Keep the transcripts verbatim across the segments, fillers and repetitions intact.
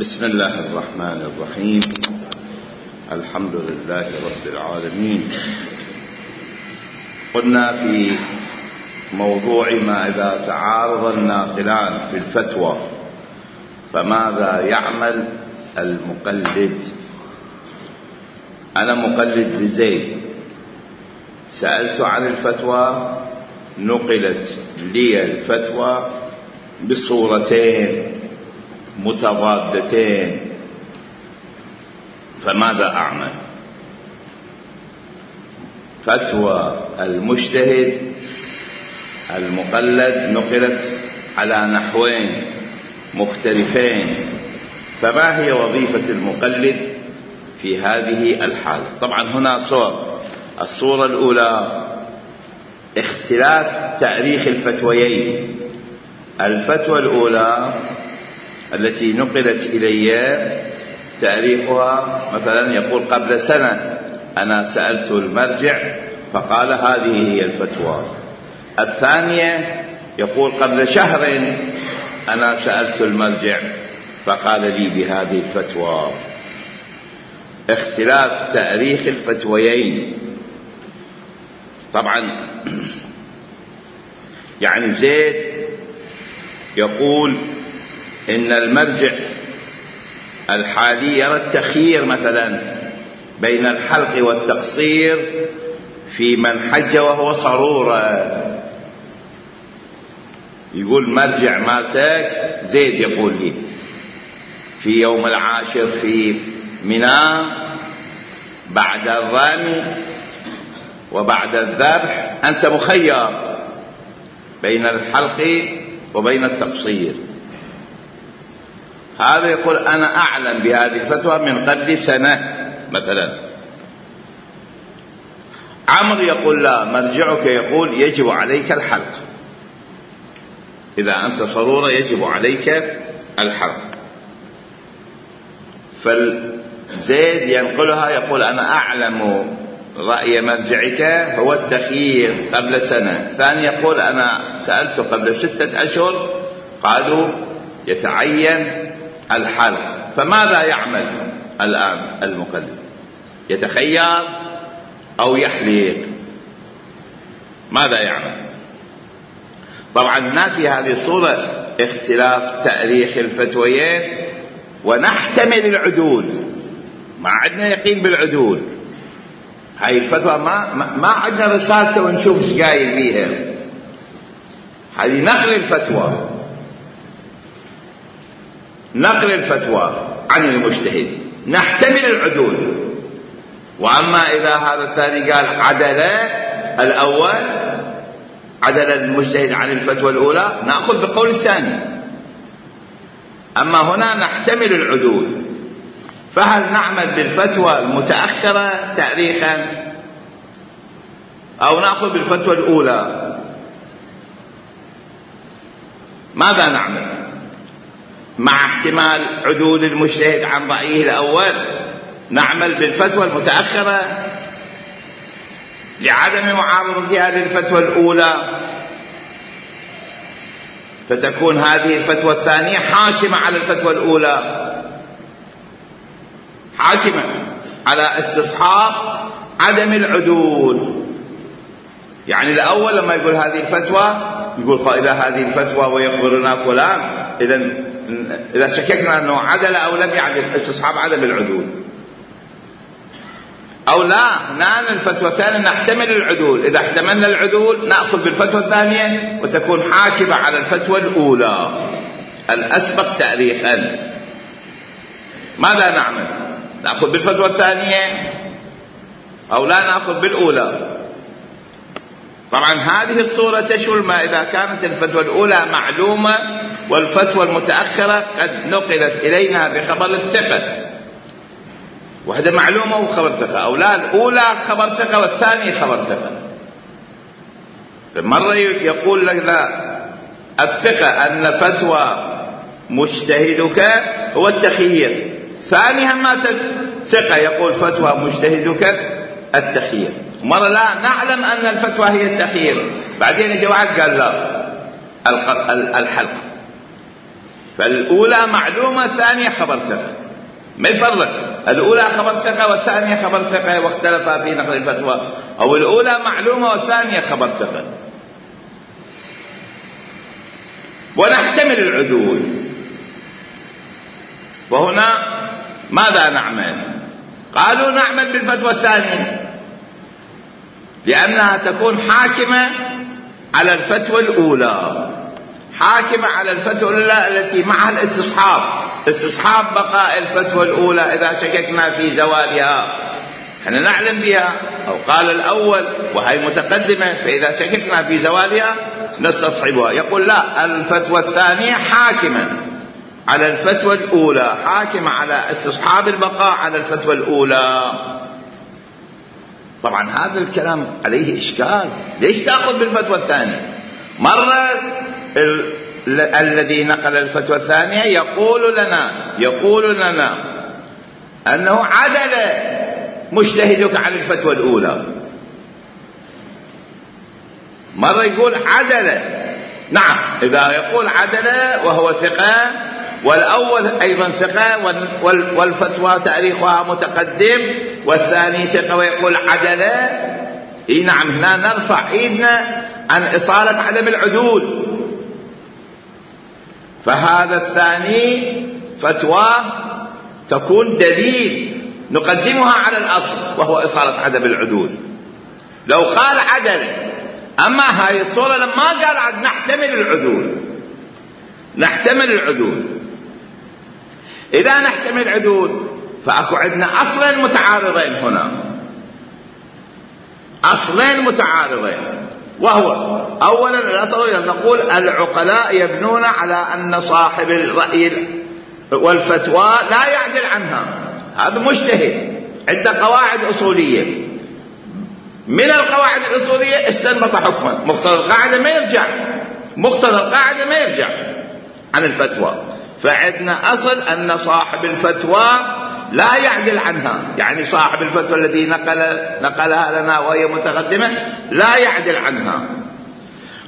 بسم الله الرحمن الرحيم. الحمد لله رب العالمين. قلنا في موضوع ما إذا تعارض الناقلان في الفتوى فماذا يعمل المقلد. أنا مقلد لزيد، سألت عن الفتوى، نقلت لي الفتوى بصورتين متضادتين، فماذا أعمل؟ فتوى المجتهد المقلد نقلت على نحوين مختلفين، فما هي وظيفة المقلد في هذه الحالة؟ طبعا هنا صور. الصورة الأولى اختلاف تاريخ الفتويين. الفتوى الأولى التي نقلت إلي تاريخها مثلا يقول قبل سنة أنا سألت المرجع فقال هذه هي الفتوى. الثانية يقول قبل شهر أنا سألت المرجع فقال لي بهذه الفتوى. اختلاف تاريخ الفتويين. طبعا يعني زيد يقول إن المرجع الحالي يرى التخيير مثلا بين الحلق والتقصير في من حج وهو صرورة. يقول مرجع مالتك زيد يقول لي في يوم العاشر في منى بعد الرمي وبعد الذبح أنت مخير بين الحلق وبين التقصير. هذا يقول أنا أعلم بهذه الفتوى من قبل سنة مثلا. عمرو يقول لا، مرجعك يقول يجب عليك الحلق، إذا أنت صرورة يجب عليك الحلق. فالزيد ينقلها يقول أنا أعلم رأي مرجعك هو التخيير قبل سنة. ثاني يقول أنا سألت قبل ستة أشهر قالوا يتعين الحلق. فماذا يعمل الآن المقلد؟ يتخير أو يحلق؟ ماذا يعمل؟ طبعا ما في هذه الصورة اختلاف تاريخ الفتويين ونحتمل العدول، ما عندنا يقين بالعدول. هاي الفتوى ما ما عندنا رسالته ونشوف ايش قايل بيها. هذه نقل الفتوى، نقل الفتوى عن المجتهد، نحتمل العدول. واما اذا هذا الثاني قال عدل الاول، عدل المجتهد عن الفتوى الاولى، ناخذ بقول الثاني. اما هنا نحتمل العدول. فهل نعمل بالفتوى المتأخرة تاريخا أو نأخذ بالفتوى الأولى؟ ماذا نعمل مع احتمال عدول المجتهد عن رأيه الأول؟ نعمل بالفتوى المتأخرة لعدم معارضتها للفتوى الأولى، فتكون هذه الفتوى الثانية حاكمة على الفتوى الأولى، حاكمة على استصحاب عدم العدول. يعني الأول لما يقول هذه الفتوى يقول إذا هذه الفتوى ويخبرنا فلان، إذا إذا شككنا أنه عدل أو لم يعدل، استصحاب عدم العدول. أو لا، نعم الفتوى الثانية نحتمل العدول، إذا احتملنا العدول نأخذ بالفتوى الثانية وتكون حاكمة على الفتوى الأولى الأسبق تاريخا. ماذا نعمل؟ نأخذ بالفتوى الثانية أو لا نأخذ بالأولى؟ طبعا هذه الصورة تشمل ما إذا كانت الفتوى الأولى معلومة والفتوى المتأخرة قد نقلت إلينا بخبر الثقة، وهذا معلومة وخبر ثقة. أو لا، الأولى خبر ثقة والثانية خبر ثقة. مرة يقول لك لا، الثقة أن فتوى مجتهدك هو التخيير. ثانيها ما ثقة يقول فتوى مجتهدك التخيير. مرة لا، نعلم أن الفتوى هي التخيير، بعدين يجي واحد قال لا الحلق. فالأولى معلومة، الثانية خبر ثقة، ما يفرق الأولى خبر ثقة والثانية خبر ثقة واختلفا في نقل الفتوى، أو الأولى معلومة والثانية خبر ثقة. ونحتمل العدول. وهنا ماذا نعمل؟ قالوا نعمل بالفتوى الثانية لأنها تكون حاكمة على الفتوى الأولى، حاكمة على الفتوى الأولى التي معها الاستصحاب، استصحاب بقاء الفتوى الأولى إذا شككنا في زوالها، احنا نعلم بها. أو قال الأول وهي متقدمة، فإذا شككنا في زوالها نستصحبها. يقول لا، الفتوى الثانية حاكمة على الفتوى الأولى، حاكمة على استصحاب البقاء على الفتوى الأولى. طبعا هذا الكلام عليه إشكال، ليش تأخذ بالفتوى الثانية؟ مرة ال... ال... الذي نقل الفتوى الثانية يقول لنا يقول لنا أنه عدل مجتهدك عن الفتوى الأولى، مرة يقول عدل. نعم، إذا يقول عدل وهو ثقة والأول أيضا ثقة والفتوى تاريخها متقدم والثاني ثقة ويقول عدل، إيه نعم، هنا نرفع إيدنا عن إصالة عدم العدول. فهذا الثاني فتوى تكون دليل نقدمها على الأصل وهو إصالة عدم العدول. لو قال عدل، أما هاي الصورة لما قال عد نحتمل العدول، نحتمل العدول. إذا نحتمل العدول فأكو عندنا أصلين متعارضين هنا، أصلين متعارضين، وهو أولا الأصل نقول العقلاء يبنون على أن صاحب الرأي والفتوى لا يعدل عنها، هذا مجتهد عنده قواعد أصولية، من القواعد الأصولية استنبط حكما، مقتضى القاعدة ما يرجع، مقتضى القاعدة ما يرجع عن الفتوى. فعندنا أصل أن صاحب الفتوى لا يعدل عنها، يعني صاحب الفتوى الذي نقل نقلها لنا وهي متقدمة لا يعدل عنها.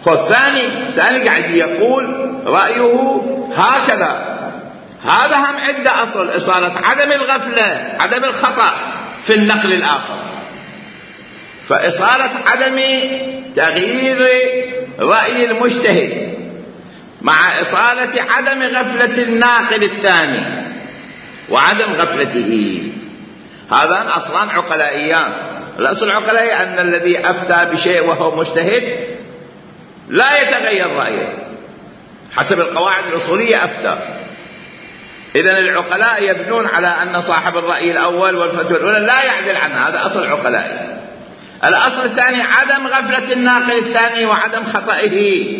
خذ ثاني ثاني قاعد يقول رأيه هكذا، هذا هم عنده أصل إصالة عدم الغفلة، عدم الخطأ في النقل الآخر. فإصالة عدم تغيير رأي المجتهد مع إصالة عدم غفلة الناقل الثاني وعدم غفلته، هذان أصلان عقلائيان. الأصل العقلائي أن الذي أفتى بشيء وهو مجتهد لا يتغير رأيه، حسب القواعد الأصولية أفتى. إذن العقلاء يبنون على أن صاحب الرأي الأول والفتوى الأولى لا يعدل عنها، هذا أصل عقلائي. الأصل الثاني عدم غفلة الناقل الثاني وعدم خطئه،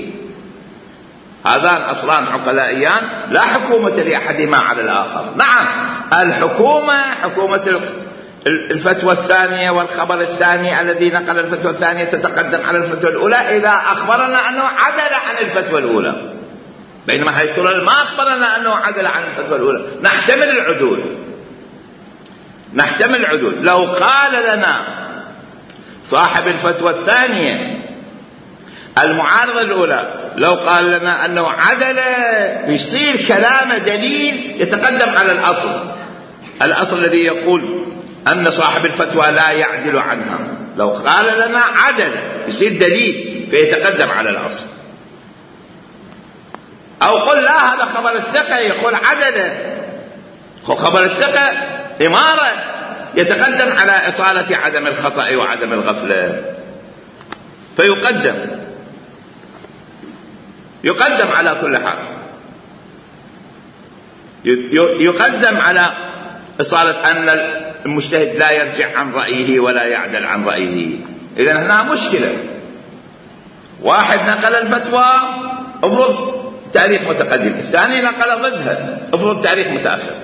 هذان أصلان عقلائيان لا حكومة لأحدهما على الآخر. نعم، الحكومة حكومة الفتوى الثانية والخبر الثاني الذي نقل الفتوى الثانية تتقدم على الفتوى الأولى إذا أخبرنا أنه عدل عن الفتوى الأولى، بينما هذه الصورة ما أخبرنا أنه عدل عن الفتوى الأولى. نحتمل العدول، نحتمل العدول. لو قال لنا صاحب الفتوى الثانية المعارضة الأولى، لو قال لنا أنه عدل، يصير كلام دليل يتقدم على الأصل، الأصل الذي يقول أن صاحب الفتوى لا يعدل عنها. لو قال لنا عدل يصير دليل فيتقدم على الأصل. أو قل لا، هذا خبر الثقة يقول عدل، خبر الثقة إمارة يتقدم على إصالة عدم الخطأ وعدم الغفلة، فيقدم يقدم على كل حال، يقدم على إصالة أن المجتهد لا يرجع عن رأيه ولا يعدل عن رأيه. إذن هنا مشكلة، واحد نقل الفتوى افرض تاريخ متقدم، الثاني نقل ضدها افرض تاريخ متأخر،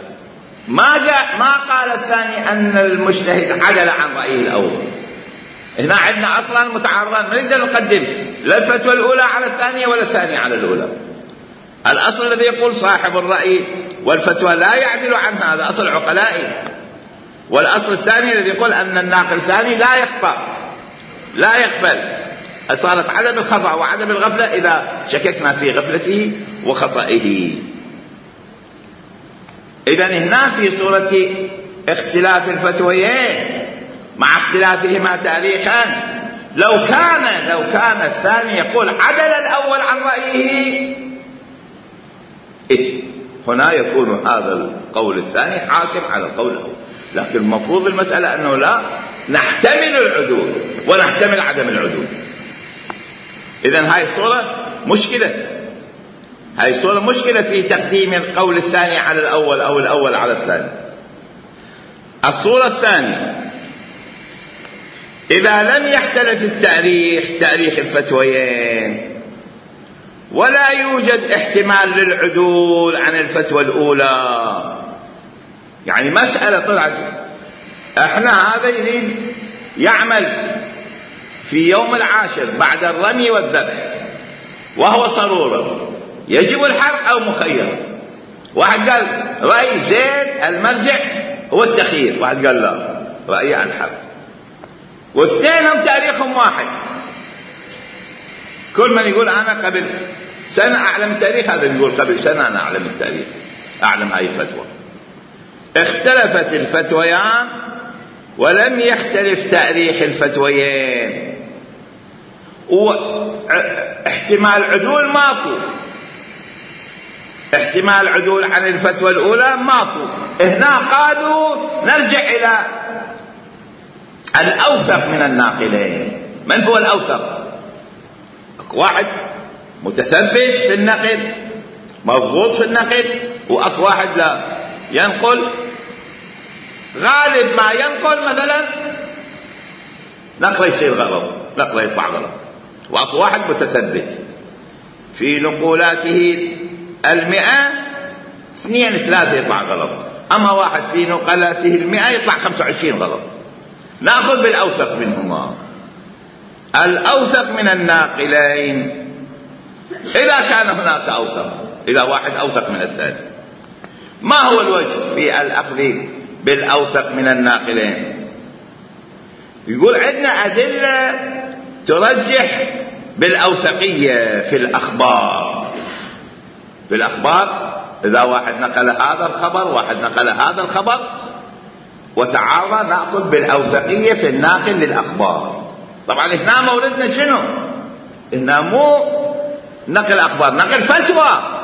ما جاء ما قال الثاني أن المجتهد عدل عن رأيه الأول. هنا عندنا أصلا متعارضان، ما نقدر نقدم لا الفتوى الأولى على الثانية ولا الثانية على الأولى. الأصل الذي يقول صاحب الرأي والفتوى لا يعدل عنها، هذا أصل عقلائي. والأصل الثاني الذي يقول أن الناقل الثاني لا يخطأ لا يغفل، صارت عدم الخطأ وعدم الغفلة إذا شككنا في غفلته وخطئه. إذن هنا في صورة اختلاف الفتويين مع اختلافهما تاريخا، لو كان لو كان الثاني يقول عدل الأول عن رأيه، إيه هنا يكون هذا القول الثاني حاكم على القول الأول. لكن المفروض المسألة أنه لا، نحتمل العدول ونحتمل عدم العدول. إذن هاي الصورة مشكلة، هاي الصورة مشكلة في تقديم القول الثاني على الأول أو الأول على الثاني. الصورة الثانية، إذا لم يختلف التاريخ تاريخ الفتويين ولا يوجد احتمال للعدول عن الفتوى الأولى، يعني مسألة طلعت احنا هذا يريد يعمل في يوم العاشر بعد الرمي والذبح وهو صرورة، يجب الحرق أو مخير. واحد قال رأي زيد المرجع هو التخيير، واحد قال لا رأي الحرق، واثنينهم تاريخهم واحد. كل من يقول أنا قبل سنة أعلم التاريخ، هذا يقول قبل سنة أنا أعلم التاريخ، أعلم هاي الفتوى. اختلفت الفتويان ولم يختلف تاريخ الفتويين، واحتمال عدول ماكو، احتمال عدول عن الفتوى الأولى ماكو. هنا قالوا نرجع إلى الأوثق من الناقلين. من هو الأوثق؟ واحد متثبت في النقل مضبوط في النقل، وأكو واحد لا ينقل، غالب ما ينقل مثلا نقله يصير غلط، نقله يطلع غلط. وأكو واحد متثبت في نقولاته المئة، اثنين ثلاثة يطلع غلط، أما واحد في نقلاته المئة يطلع خمسة وعشرين غلط. نأخذ بالأوثق منهما، الأوثق من الناقلين. إذا كان هناك أوثق، إذا واحد أوثق من الثاني، ما هو الوجه في الأخذ بالأوثق من الناقلين؟ يقول عندنا أدلة ترجح بالأوثقية في الأخبار. في الأخبار إذا واحد نقل هذا الخبر واحد نقل هذا الخبر وتعارض، نأخذ بالأوثقية في الناقل للأخبار. طبعا هنا موردنا شنو؟ هنا مو نقل أخبار، نقل فتوى.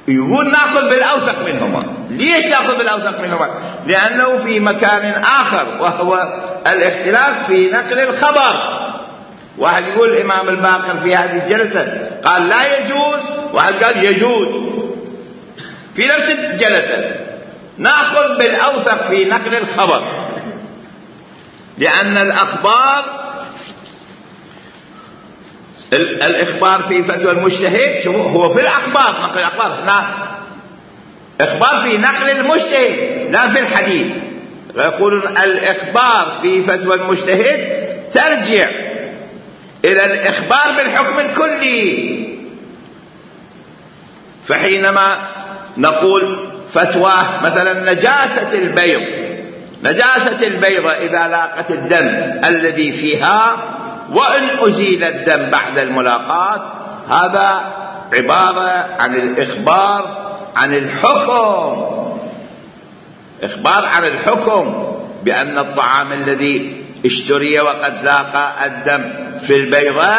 يقول نأخذ بالأوثق منهما. ليش نأخذ بالأوثق منهما؟ لأنه في مكان آخر، وهو الاختلاف في نقل الخبر. واحد يقول الإمام الباقر في هذه الجلسة قال لا يجوز، واحد قال يجوز في نفس الجلسة. نأخذ بالأوثق في نقل الخبر، لأن الأخبار الإخبار في فتوى المجتهد هو في الأخبار، نقل الأخبار. هنا إخبار في نقل المجتهد لا في الحديث. يقولون الإخبار في فتوى المجتهد ترجع إلى الإخبار بالحكم الكلي. فحينما نقول فتوى مثلا نجاسة البيض، نجاسة البيضة إذا لاقت الدم الذي فيها وإن أزيل الدم بعد الملاقاة، هذا عبارة عن الإخبار عن الحكم، إخبار عن الحكم بأن الطعام الذي اشتري وقد لاقى الدم في البيضة،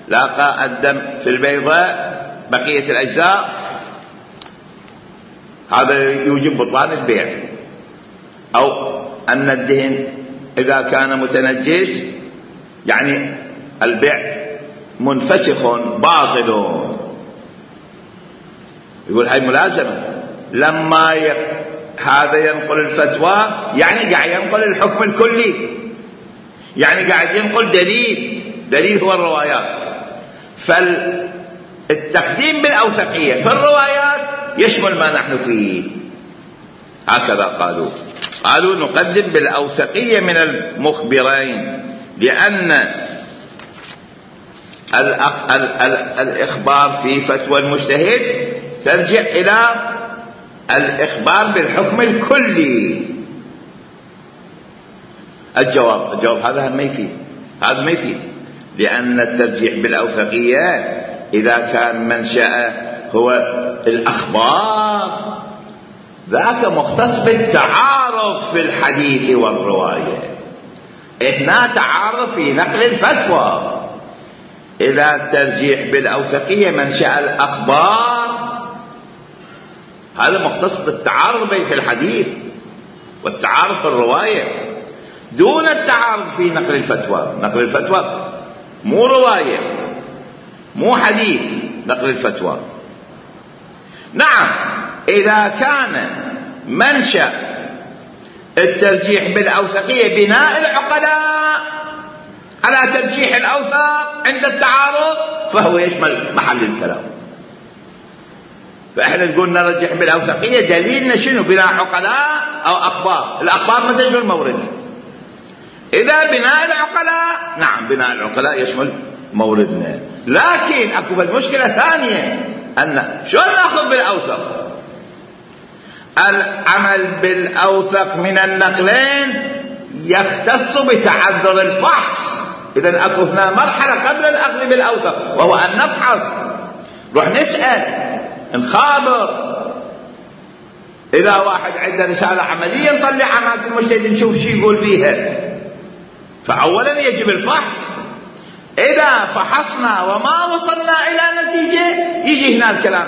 لاقى الدم في البيضة بقية الأجزاء، هذا يوجب بطلان البيع. أو أن الدهن إذا كان متنجس يعني البيع منفسخ باطل. يقول هاي ملازمة. لما ي... هذا ينقل الفتوى يعني قاعد ينقل الحكم الكلي، يعني قاعد ينقل دليل، دليل هو الروايات. فالتقديم بالأوثقية في الروايات يشمل ما نحن فيه. هكذا قالوا قالوا نقدم بالأوثقية من المخبرين، لأن الإخبار في فتوى المجتهد ترجع إلى الإخبار بالحكم الكلي. الجواب الجواب هذا ما يفيد، هذا ما يفيد، لأن الترجيح بالأوثقية إذا كان منشأ هو الأخبار ذاك مختص بالتعارف في الحديث والرواية. هنا تعارف في نقل الفتوى. إذا الترجيح بالأوثقية منشأ الأخبار هذا مختص بالتعارض في الحديث والتعارف في الرواية دون التعارض في نقل الفتوى. نقل الفتوى مو رواية مو حديث، نقل الفتوى. نعم إذا كان منشأ الترجيح بالأوثقية بناء العقلاء على ترجيح الأوثق عند التعارض فهو يشمل محل الكلام. فإحنا نقول نرجح بالأوثقية دليلنا شنو؟ بناء عقلاء أو أخبار. الأخبار ما تشمل موردنا. إذا بناء العقلاء نعم بناء العقلاء يشمل موردنا. لكن أكو المشكلة ثانية أن شلون نأخذ بالأوثق؟ العمل بالأوثق من النقلين يختص بتعذر الفحص. إذن أكو هنا مرحلة قبل الأخذ بالأوثق وهو أن نفحص، نروح نسأل نخابر. إذا واحد عنده رسالة عملية نطلع عمالة المجتهد نشوف شي يقول فيها. فأولا يجب الفحص. إذا فحصنا وما وصلنا إلى نتيجة يجي هنا الكلام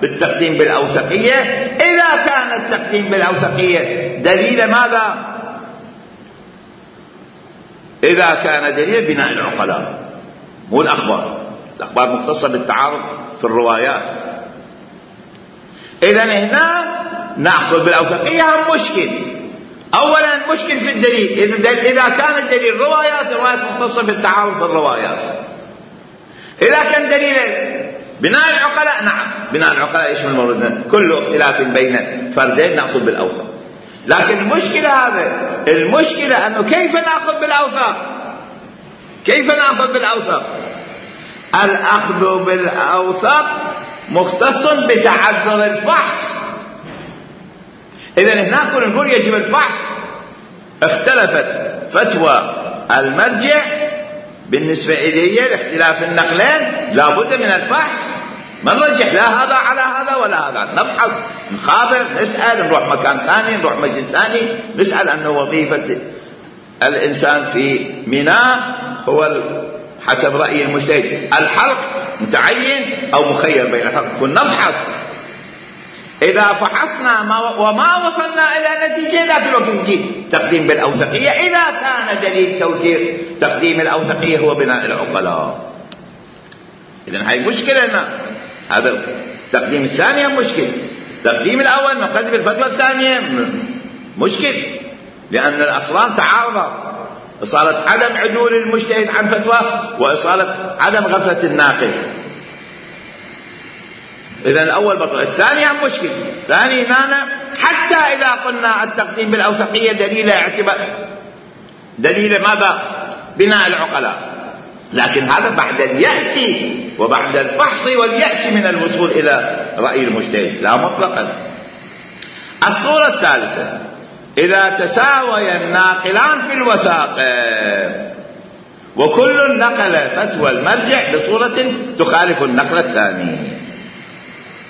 بالتقديم بالأوثقية. إذا كان التقديم بالأوثقية دليل ماذا؟ إذا كان دليل بناء العقلاء مو الأخبار. الأخبار مختصة بالتعارض في الروايات. إذن هنا نأخذ بالأوثقية هم مشكل. أولا مشكل في الدليل. إذا كان الدليل روايات روايات مختصة بالتعارض في الروايات. إذا كان دليل بناء العقلاء نعم بناء العقلاء يشمل موردنا. كل اختلاف بين فردين نأخذ بالأوثق. لكن المشكلة هذا المشكلة أنه كيف نأخذ بالأوثق؟ كيف نأخذ بالأوثق؟ الأخذ بالأوثق مختص بتعذر الفحص. إذن هناك نقول يجب الفحص. اختلفت فتوى المرجع بالنسبة إليه لاختلاف النقلين لابد من الفحص. ما نرجح لا هذا على هذا ولا هذا. نفحص نخابر نسأل نروح مكان ثاني نروح مجلس ثاني نسأل أنه وظيفة الإنسان في ميناء هو حسب رأي المجتهد الحلق متعين أو مخير بين الحلق. كنا نفحص. إذا فحصنا وما وصلنا إلى نتيجة لا في الوقت يجي تقديم بالأوثقية. إذا كان دليل توثيق تقديم الأوثقية هو بناء العقلاء. إذن هاي مشكلة هنا. هذا التقديم الثاني مشكل. تقديم الأول نقدم الفتوى الثانية مشكل لأن الأصلان تعارضا. إصالة عدم عدول المجتهد عن فتوى وإصالة عدم غفلة الناقل. إذن الأول بطل. الثاني هم مشكل. ثاني هنا حتى إذا قلنا التقديم بالأوثقية دليل اعتبار دليل ماذا؟ بناء العقلاء. لكن هذا بعد اليأس وبعد الفحص واليأس من الوصول إلى رأي المجتهد لا مطلقا. الصورة الثالثة إذا تساوي الناقلان في الوثاقة وكل نقل فتوى المرجع بصورة تخالف النقل الثاني.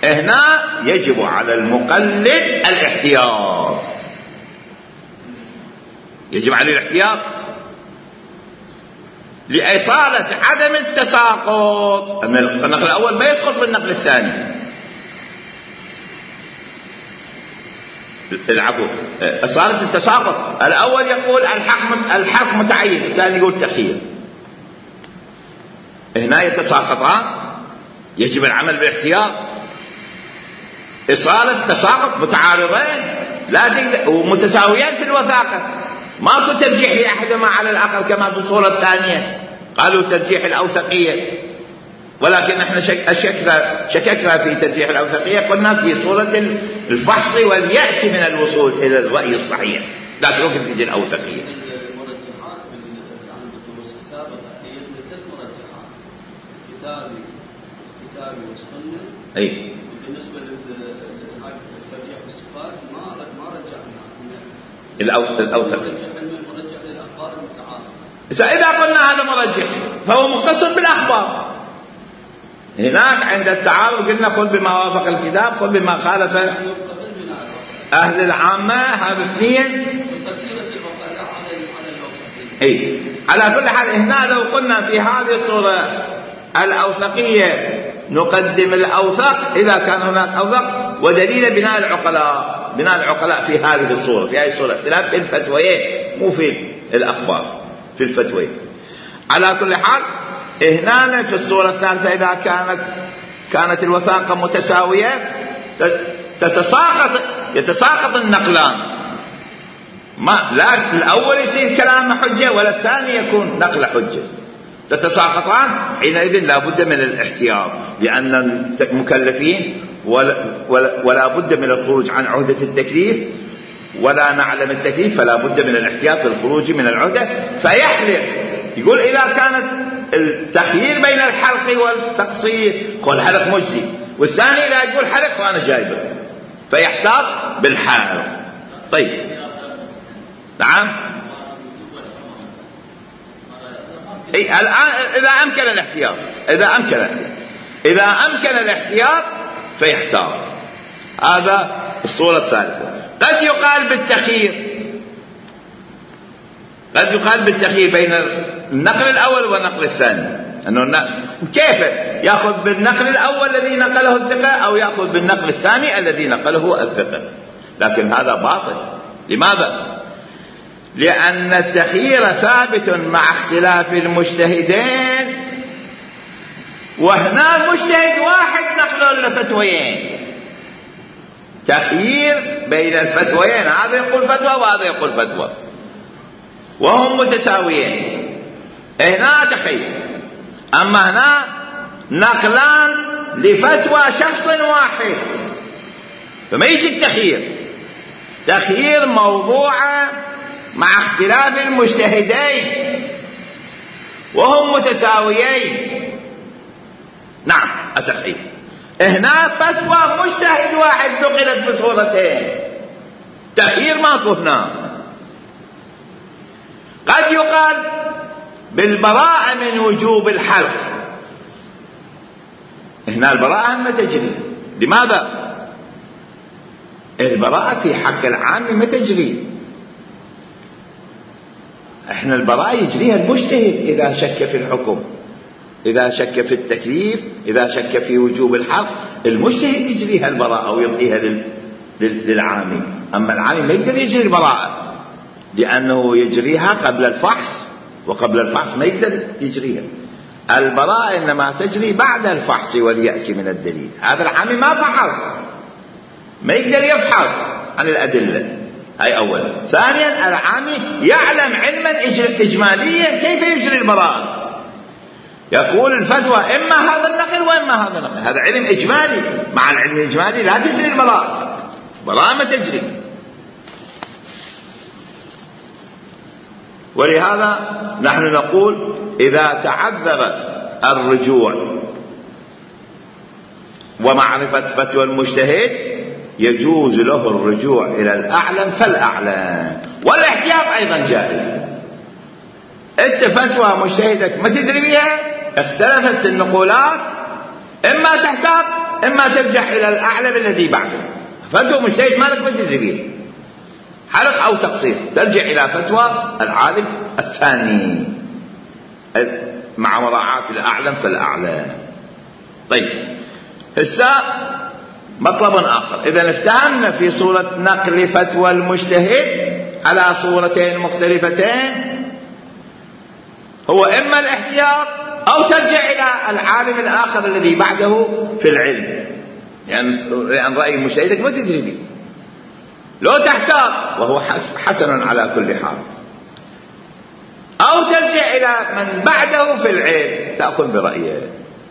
هنا يجب على المقلد الاحتياط. يجب عليه الاحتياط لإصالة عدم التساقط. أن النقل الأول ما يسقط بالنقل الثاني. العفو إصالة التساقط. الأول يقول الحق الحق متعين، الثاني يقول تخيير. هنا يتساقطان. يجب العمل بالاحتياط. إصالة تساقط متعارضين لا ومتساويين في الوثاقة. ماكو ترجيح لأحدهما على الآخر كما في الصورة الثانية قالوا ترجيح الأوثقية. ولكن احنا شككنا شككنا في ترجيح الأوثقية. قلنا في صورة الفحص واليأس من الوصول إلى الرأي الصحيح. لكن ممكن تجي الأوثقية. المرجحات عن الدروس السابقة هي ثلاث مرجحات: كتابي كتابي والسنة. أي. بالنسبة للترجيح الصفات ما ما رجعنا الأوثق. مرجح للأخبار المتعارضة. إذا قلنا هذا مرجح فهو مختص بالأخبار. هناك عند التعارض قلنا خذ بما وافق الكتاب، خذ بما خالف أهل العامة، هذا اثنين. اي على كل حال هنا لو قلنا في هذه الصورة الأوثقية نقدم الأوثق إذا كان هناك أوثق، ودليل بناء العقلاء، بناء العقلاء في هذه الصورة، في هذه الصورة اختلاف في الفتويين مو في الأخبار، في الفتويين. على كل حال هنا في الصورة الثالثة إذا كانت كانت الوثاقة متساوية تتساقط يتساقط النقلان، ما لا الأول يصير كلام حجة ولا الثاني يكون نقل حجة، تتساقطان. حينئذ لا بد من الاحتياط، لأن المكلفين ولا, ولا, ولا بد من الخروج عن عهدة التكليف ولا نعلم التكليف، فلا بد من الاحتياط للخروج من العهدة. فيحلق يقول إذا كانت التخيير بين الحلق والتقصير قول حلق مجزي، والثاني إذا يقول حلق وأنا جايبه، فيحتاط بالحلق. طيب نعم. إيه الآن إذا أمكن الاحتياط، إذا أمكن الاحتياط إذا أمكن الاحتياط فيحتاط. هذا الصورة الثالثة. قد يقال بالتخيير، قد يقال بالتخيير بين النقل الأول والنقل الثاني، أنه كيف يأخذ بالنقل الأول الذي نقله الثقة أو يأخذ بالنقل الثاني الذي نقله الثقة، لكن هذا باطل. لماذا؟ لأن التخيير ثابت مع اختلاف المجتهدين، وهنا مجتهد واحد نقل الفتويين، تخيير بين الفتويين، هذا يقول فتوى وهذا يقول فتوى وهم متساويين، هنا تخيير. أما هنا نقلان لفتوى شخص واحد، فما يجي التخيير. تخيير موضوعة مع اختلاف المجتهدين وهم متساويين. نعم التخيير. هنا فتوى مجتهد واحد نقلت بصورتين، تخيير ماكو هنا. قد يقال بالبراءة من وجوب الحلق، هنا البراءة ما تجري. لماذا؟ البراءة في حق العام ما تجري، احنا البراءة يجريها المجتهد إذا شك في الحكم، إذا شك في التكليف، إذا شك في وجوب الحق، المجتهد يجريها البراءة ويعطيها لل... للعامي. أما العامي ما يقدر يجري البراءة لأنه يجريها قبل الفحص، وقبل الفحص ما يقدر يجريها. البراءة إنما تجري بعد الفحص واليأس من الدليل. هذا العامي ما فحص، ما يقدر يفحص عن الأدلة، هاي أولا. ثانيا العامي يعلم علما إجماليا كيف يجري البراءة، يقول الفتوى إما هذا النقل وإما هذا النقل، هذا علم إجمالي. مع العلم الإجمالي لا تجري البراءة، البراءة ما تجري. ولهذا نحن نقول إذا تعذر الرجوع ومعرفة فتوى المجتهد يجوز له الرجوع إلى الأعلم فالأعلم، والاحتياط أيضا جائز. أنت فتوى مجتهدك ما تدري بها، اختلفت النقولات، إما تحتاط إما ترجع إلى الأعلم الذي بعده. فتوى مجتهد مالك ما تدري بها، حلق أو تقصير، ترجع إلى فتوى العالم الثاني مع مراعاة الأعلم فالأعلم. طيب هسه مطلب آخر، إذا افتهمنا في صورة نقل فتوى المجتهد على صورتين مختلفتين، هو إما الاحتياط أو ترجع إلى العالم الآخر الذي بعده في العلم، يعني لأن رأي مجتهدك ما تدري به. لو تحتاط وهو حسن على كل حال، أو ترجع إلى من بعده في العلم تأخذ برأيه،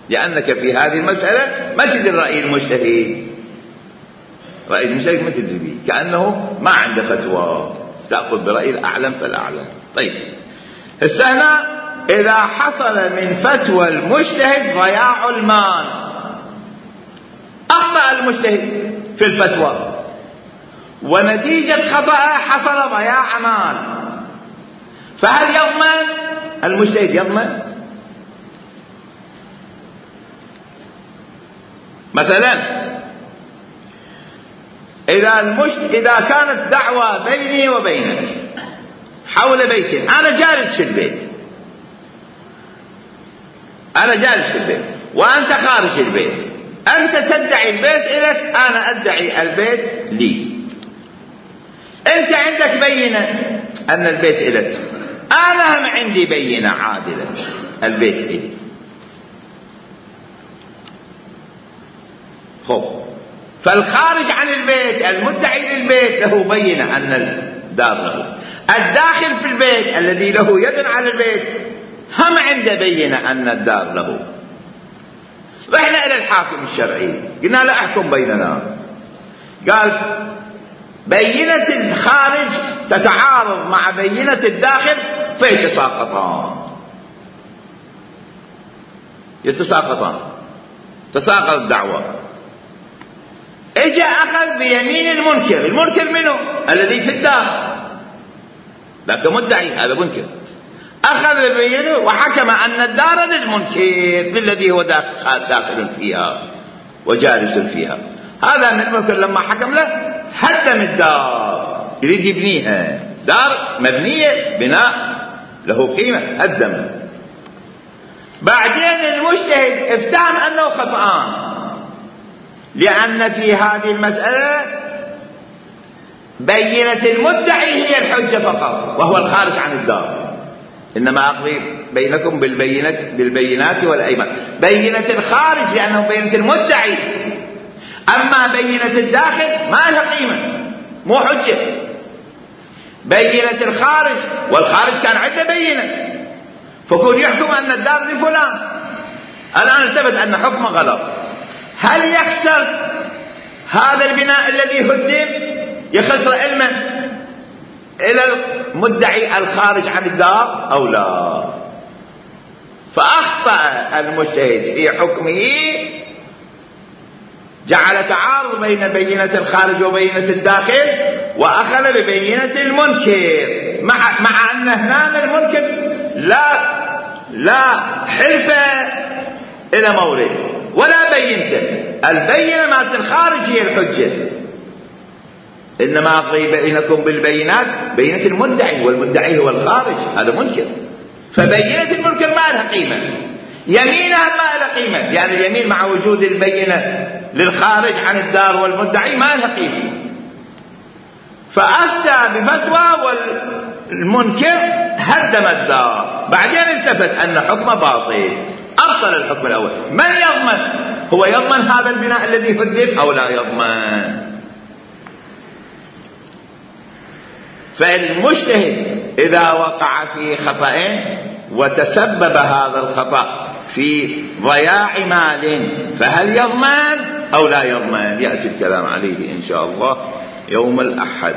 لأنك في هذه المسألة ما تدري رأي المجتهد، رأي المجتهد ما تدري به، كأنه ما عنده فتوى، تأخذ برأي الأعلم فالأعلم. طيب هسه هنا إذا حصل من فتوى المجتهد ضياع المال، أخطأ المجتهد في الفتوى ونتيجة خطأه حصل ضياع مال، فهل يضمن المجتهد؟ يضمن؟ مثلا إذا, المشت... إذا كانت دعوة بيني وبينك حول بيت، أنا جالس في البيت، أنا جالس في البيت وأنت خارج البيت، أنت تدعي البيت إليك، أنا أدعي البيت لي. أنت عندك بينة أن البيت إليك، أنا هم عندي بينة عادلة البيت إلي. خب، فالخارج عن البيت المدعي للبيت له بينة أن الدار له، الداخل في البيت الذي له يد على البيت هم عنده بينة أن الدار له. رحنا إلى الحاكم الشرعي قلنا له احكم بيننا، قال بينة الخارج تتعارض مع بينة الداخل فيتساقطان، يتساقطان، تساقط الدعوة. اجى اخذ بيمين المنكر، المنكر منه الذي في الدار، لكن مدعي هذا منكر، اخذ بيمينه وحكم ان الدار للمنكر للذي هو داخل, داخل فيها وجالس فيها. هذا من المنكر لما حكم له هدم الدار، يريد يبنيها، دار مبنية بناء له قيمة، هدم. بعدين المجتهد افتهم انه خطأان، لأن في هذه المسألة بينة المدعي هي الحجة فقط وهو الخارج عن الدار، إنما أقضي بينكم بالبينات بالبينات والأيمان. بينة الخارج لأنه بينة المدعي، أما بينة الداخل ما لها قيمة، مو حجة. بينة الخارج، والخارج كان عنده بينة، فكون يحكم أن الدار لفلان، الآن التفت أن حكمه غلط، هل يخسر هذا البناء الذي هدم، يخسر علمه إلى المدعي الخارج عن الدار أو لا؟ فأخطأ المجتهد في حكمه، جعل تعارض بين بينة الخارج وبينة الداخل، وأخذ ببينة المنكر، مع, مع أن هنا المنكر لا لا حلف إلى مورد ولا بينته، البينة مالت الخارج هي الحجة، إنما أقضي بينكم بالبينات، بينة المدعي، والمدعي هو الخارج، هذا منكر، فبينة المنكر ما لها قيمة، يمينها ما لها قيمة، يعني اليمين مع وجود البينة للخارج عن الدار والمدعي ما لها قيمة. فأفتى بفتوى والمنكر هدم الدار، بعدين التفت أن حكمه باطل، أبطل الحكم الأول. من يضمن؟ هو يضمن هذا البناء الذي هدم أو لا يضمن؟ فالمجتهد إذا وقع في خطأ وتسبب هذا الخطأ في ضياع مال، فهل يضمن أو لا يضمن؟ يأتي الكلام عليه إن شاء الله يوم الأحد.